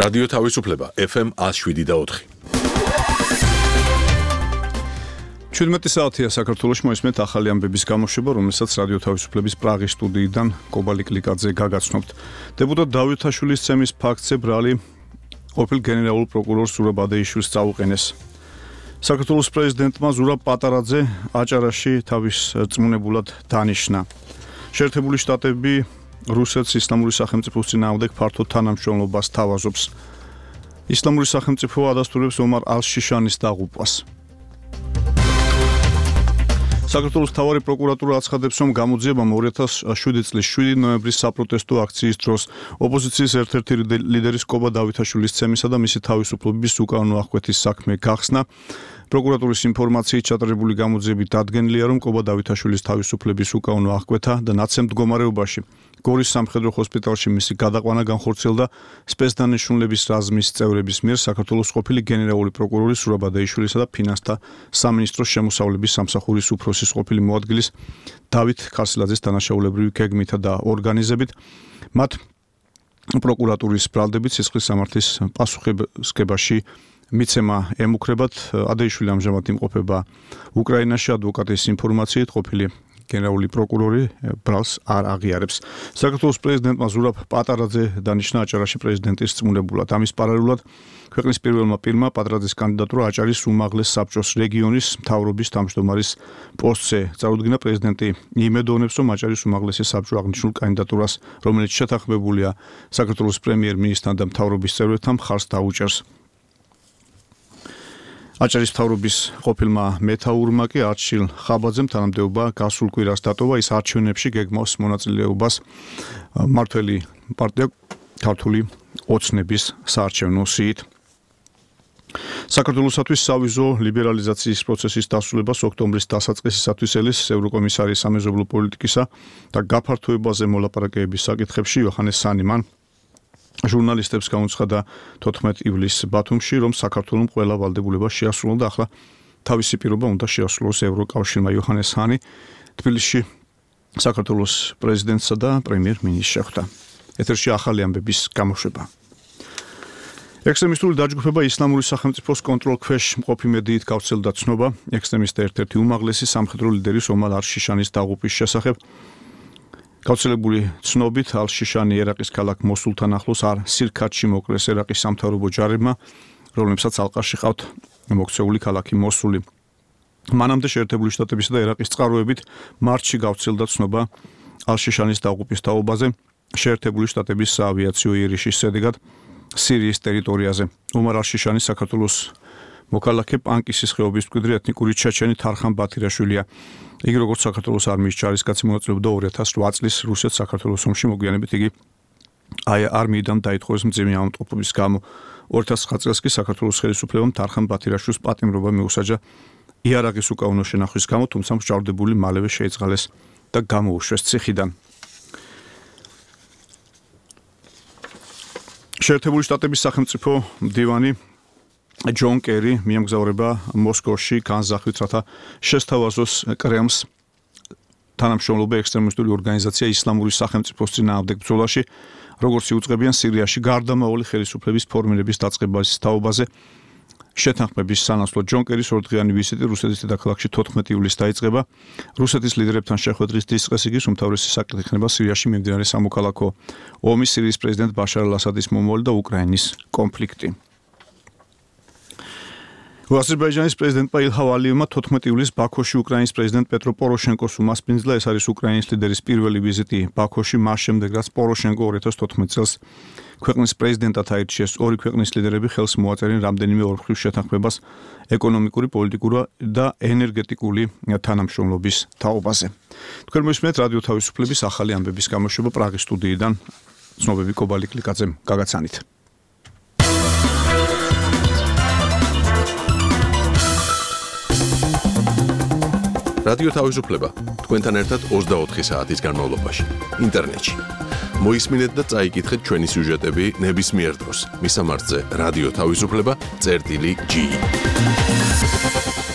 რადიო თავისუფლება FM 107.4. 17 საათია საქართველოში მოისმენთ ახალი ამბების გამოშვება, რომელსაც რადიო თავისუფლების პრაღის სტუდიიდან კობალი კლიკაძე გაგაცნობთ. დეპუტატ დავითაშვილის ცემის ფაქტზე ბრალი ყოფილ გენერალურ პროკურორ ზურაბ ადეიშვილს წაუყენეს. საქართველოს პრეზიდენტმა ზურაბ პატარაძე აჭარაში თავის რწმუნებულად დანიშნა. შეერთებული შტატები რუსეთს ისლამური სახელმწიფოს წინააღმდეგ ფართო თანამშრომლობას თავაზობს. ისლამური სახელმწიფო ადასტურებს ომარ ალ-შიშანის დაღუპვას. საქართველოს მთავარი პროკურატურა აცხადებს, რომ გამოძიებამ 2007 წლის 7 ნოემბრის საპროტესტო აქციის დროს ოპოზიციის ერთ-ერთი ლიდერის კობა დავითაშვილის ცემისა და მისი თავისუფლების უკანონო აღკვეთის საქმე გახსნა. პროკურატურის ინფორმაციით ჩატარებული გამოძიებით დადგენილია, რომ კობა დავითაშვილის თავისუფლების უკანონო აღკვეთა და ნაცემ მდგომარეობაში გორის სამხედრო ჰოსპიტალში მისი გადაყვანა განხორციელდა სპეცდანიშნულების რაზმის წევრების მიერ საქართველოს ყოფილი გენერალური პროკურორი ზურაბ ადეიშვილისა და ფინანსთა სამინისტროს შემოსავლების სამსახურის უფროსის ყოფილი მოადგილის დავით ქარსილაძის დანაშაულებრივი გეგმითა და ორგანიზებით. მათ პროკურატურის ბრალდებით სისხლის სამართლის პასუხისმგებაში მიცემა ემუქრებათ. ადეიშვილი ამჟამად იმყოფება უკრაინაში. ადვოკატის ინფორმაციით ყოფილი გენერალური პროკურორი ბრალს არ აღიარებს. საქართველოს პრეზიდენტმა ზურაბ პატარაძე დანიშნა აჭარაში პრეზიდენტის რწმუნებულად. ამის პარალელურად ქვეყნის პირველმა პირმა პატარაძის კანდიდატურა აჭარის უმაღლეს საბჭოს რეგიონის მთავრობის თავმჯდომარის პოსტზე წარუდგინა. პრეზიდენტი იმედოვნებს, რომ აჭარის უმაღლესი საბჭო აღნიშნულ კანდიდატურას, რომელიც შეთანხმებულია საქართველოს პრემიერ-მინისტრთან და მთავრობის წევრებთან, მხარს დაუჭერს. აჭარის მთავრობის ყოფილმა მეთაურმა კი არჩილ ხაბაძემ თანამდებობა გასულ კვირას დატოვა. ის არჩევნებში გეგმავს მონაწილეობას მმართველი პარტია ქართული ოცნების საარჩევნო სიით. საქართველოსათვის სავიზო ლიბერალიზაციის პროცესის დასრულებას ოქტომბრის დასაწყისისათვის ელის ევროკომისარი სამეზობლო პოლიტიკისა და გაფართოებაზე მოლაპარაკებების საკითხებში იოჰანეს სანი მან ჟურნალისტებს გამოცხადა 14 ივლისს ბათუმში, რომ საქართველოს ყველა ვალდებულება შეასრულა და ახლა თავისი პირობა უნდა შეასრულოს ევროკავშირმა. იოჰანეს სანი თბილისში საქართველოს პრეზიდენტსა და პრემიერ-მინისტრს შეხვდა. ეთერში ახალი ამბების გამოშვება. ექსტრემისტული დაჯგუფება ისლამური სახელმწიფოს კონტროლქვეშ მყოფი მედიით გავრცელდა ცნობა ექსტრემისტთა ერთ-ერთი უმაღლესი სამხედრო ლიდერის ომარ ალ-შიშანის დაღუპვის შესახებ. გავრცელებული ცნობით ალ-შიშანი ერაყის ქალაქ მოსულთან ახლოს არ სირქათში მოკლეს ერაყის სამთავრობო ჯარებმა, რომლებსაც ალყაში ყავთ მოქცეული ქალაქი მოსული. მანამდე შეერთებული შტატებისა და ერაყის წყაროებით მარტში გავრცელდა ცნობა ალ-შიშანის დაღუპვის თაობაზე შეერთებული შტატების საავიაციო იერიშის შედეგად სირიის ტერიტორიაზე. ომარ ალ-შიშანი საქართველოს მოქალაქე პანკისის ხეობის მკვიდრი ეთნიკური ჩეჩენი თარხან ბათირაშვილია. იგი როგორც საქართველოს არმიის ჯარისკაცი მონაწილეობდა 2008 წლის რუსეთ-საქართველოს ომში. მოგვიანებით იგი არმიიდან დაითხოვეს მძიმე ავადმყოფობის გამო. 2009 წელს კი საქართველოს ხელისუფლებამ თარხან ბათირაშვილს პატიმრობა მიუსაჯა იარაღის უკანონო შენახვის გამო, თუმცა მსჯავრდებული მალევე შეიწყალეს და გამოუშვეს ციხიდან. შეერთებული შტატების სახელმწიფო მდივანი ჯონ კერი მიემგზავრება მოსკოვში განზახვით, რათა შესთავაზოს კრემლს თანამშრომლობა ექსტრემისტული ორგანიზაცია ისლამური სახელმწიფოს წინააღმდეგ ბრძოლაში, როგორც იუწყებიან სირიაში გარდამავალი ხელისუფლების ფორმირების დაწყებას თაობაზე. შეთანხმების სანაცვლოდ ჯონ კერის ორდღიანი ვიზიტი რუსეთის დედაქალაქში 14 ივლისს დაიწყება. რუსეთის ლიდერებთან შეხვედრის დისყეს იგი უმთავრესი საკითხი იქნება სირიაში მიმდინარე სამოქალაქო ომი, სირიის პრეზიდენტ ბაშარ ალ-ასადის მომავალი და უკრაინის კონფლიქტი. აზერბაიჯანის პრეზიდენტმა ილჰამ ალიევმა 14 ივლისს ბაქოში უკრაინის პრეზიდენტ პეტრო პოროშენკოს უმასპინძლა. ეს არის უკრაინის ლიდერის პირველი ვიზიტი ბაქოში, მას შემდეგ რაც პოროშენკო 2014 წელს ქვეყნის პრეზიდენტად აირჩიეს. ორი ქვეყნის ლიდერები ხელს მოაწერენ რამდენიმე ორმხრივ შეთანხმებას ეკონომიკური, პოლიტიკური და ენერგეტიკული თანამშრომლობის თაობაზე. თქვენ მოისმენთ რადიო თავისუფლების ახალი ამბების გამოშვება პრაღის სტუდიიდან. ცნობები კობალი კლიკაძემ გაგაცანით. რადიო თავისუფლება თქვენთან ერთად 24 საათის განმავლობაში ინტერნეტში. მოისმინეთ და წაიკითხეთ ჩვენი სიუჟეტები ნებისმიერ დროს. მისამართზე რადიო თავისუფლება.ge